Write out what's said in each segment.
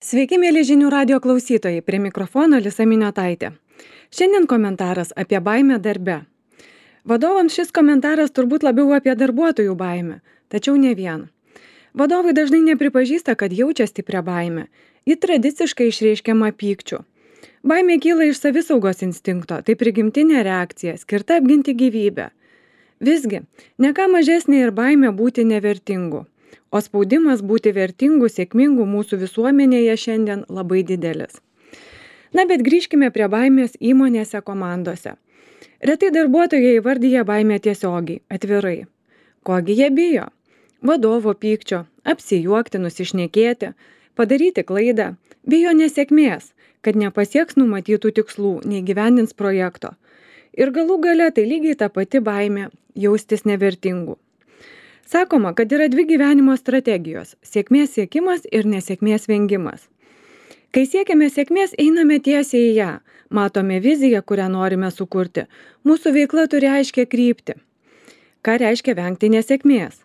Sveiki, mėly žinių radio klausytojai, prie mikrofono Lisa Miniotaitė. Šiandien komentaras apie baimę darbe. Vadovams šis komentaras turbūt labiau apie darbuotojų baimę, tačiau ne vien. Vadovai dažnai nepripažįsta, kad jaučia stiprią baimę. Ji tradiciškai išreiškiama pykčiu. Baimė kyla iš savisaugos instinkto, tai prigimtinė reakcija, skirta apginti gyvybę. Visgi, ne ką mažesnė ir baimė būti nevertingu. O spaudimas būti vertingu, sėkmingu mūsų visuomenėje šiandien labai didelis. Na, bet grįžkime prie baimės įmonėse, komandose. Retai darbuotojai įvardyja baimę tiesiogiai, atvirai. Kogi jie bijo? Vadovo pykčio, apsijuokti, nusišnekėti, padaryti klaidą, bijo nesėkmės, kad nepasieks numatytų tikslų, neįgyvendins projekto. Ir galų gale tai lygiai ta pati baimė jaustis nevertingu. Sakoma, kad yra dvi gyvenimo strategijos – sėkmės siekimas ir nesėkmės vengimas. Kai siekiame sėkmės, einame tiesiai į ją, matome viziją, kurią norime sukurti. Mūsų veikla turi aiškią kryptį. Ką reiškia vengti nesėkmės?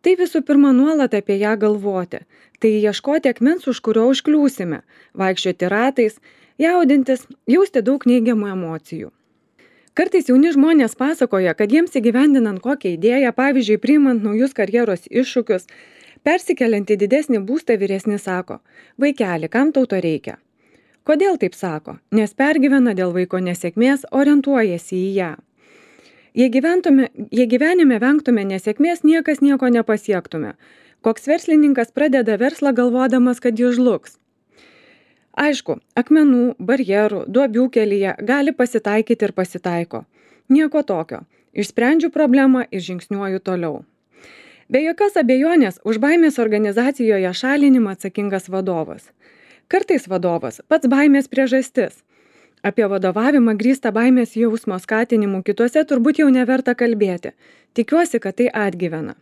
Tai visų pirma nuolat apie ją galvoti. Tai ieškoti akmens, už kurio užkliūsime, vaikščioti ratais, jaudintis, jausti daug neigiamų emocijų. Kartais jauni žmonės pasakoja, kad jiems įgyvendinant kokią idėją, pavyzdžiui, priimant naujus karjeros iššūkius, persikeliant į didesnį būstą, vyresni sako: vaikeli, kam tau to reikia? Kodėl taip sako? Nes pergyvena dėl vaiko nesėkmės, orientuojasi į ją. Jei gyvenime vengtume nesėkmės, niekas nieko nepasiektume. Koks verslininkas pradeda verslą galvodamas, kad jis žlugs? Aišku, akmenų, barjerų, duobių kelyje gali pasitaikyti ir pasitaiko. Nieko tokio. Išsprendžiu problemą ir žingsniuoju toliau. Be jokios abejonės, už baimės organizacijoje šalinimą atsakingas vadovas. Kartais vadovas pats baimės priežastis. Apie vadovavimą grįstą baimės jausmo skatinimu kituose turbūt jau neverta kalbėti. Tikiuosi, kad tai atgyvena.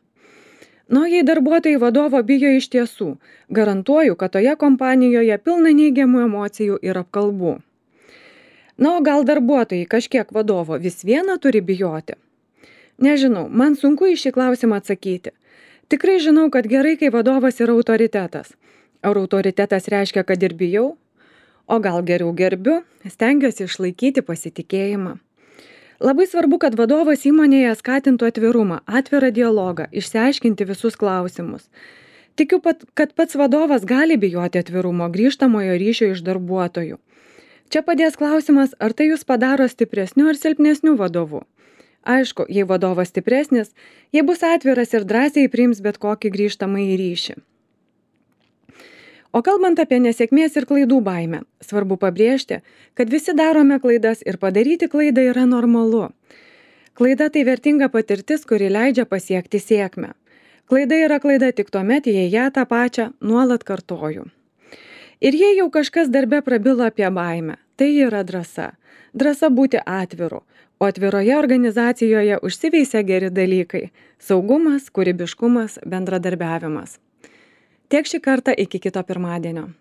Nu, jei darbuotojai vadovo bijo iš tiesų, garantuoju, kad toje kompanijoje pilna neigiamų emocijų ir apkalbų. Na, o gal darbuotojai kažkiek vadovo vis viena turi bijoti? Nežinau, man sunku į šį klausimą atsakyti. Tikrai žinau, kad gerai, kai vadovas yra autoritetas. Ar autoritetas reiškia, kad ir bijau? O gal geriau gerbiu, stengiuosi išlaikyti pasitikėjimą. Labai svarbu, kad vadovas įmonėje skatintų atvirumą, atvirą dialogą, išsiaiškinti visus klausimus. Tikiu, kad pats vadovas gali bijoti atvirumo, grįžtamojo ryšio iš darbuotojų. Čia padės klausimas, ar tai jūs padaro stipresniu ar silpnesniu vadovu. Aišku, jei vadovas stipresnis, jei bus atviras ir drąsiai priims bet kokį grįžtamąjį ryšį. O kalbant apie nesėkmės ir klaidų baimę, svarbu pabrėžti, kad visi darome klaidas ir padaryti klaidą yra normalu. Klaida tai vertinga patirtis, kuri leidžia pasiekti sėkmę. Klaida yra klaida tik tuomet, jei ją tą pačią nuolat kartoju. Ir jei jau kažkas darbe prabilo apie baimę, tai yra drąsa. Drąsa būti atviru, o atviroje organizacijoje užsiveisia geri dalykai – saugumas, kūrybiškumas, bendradarbiavimas. Tiek šį kartą, iki kito pirmadienio.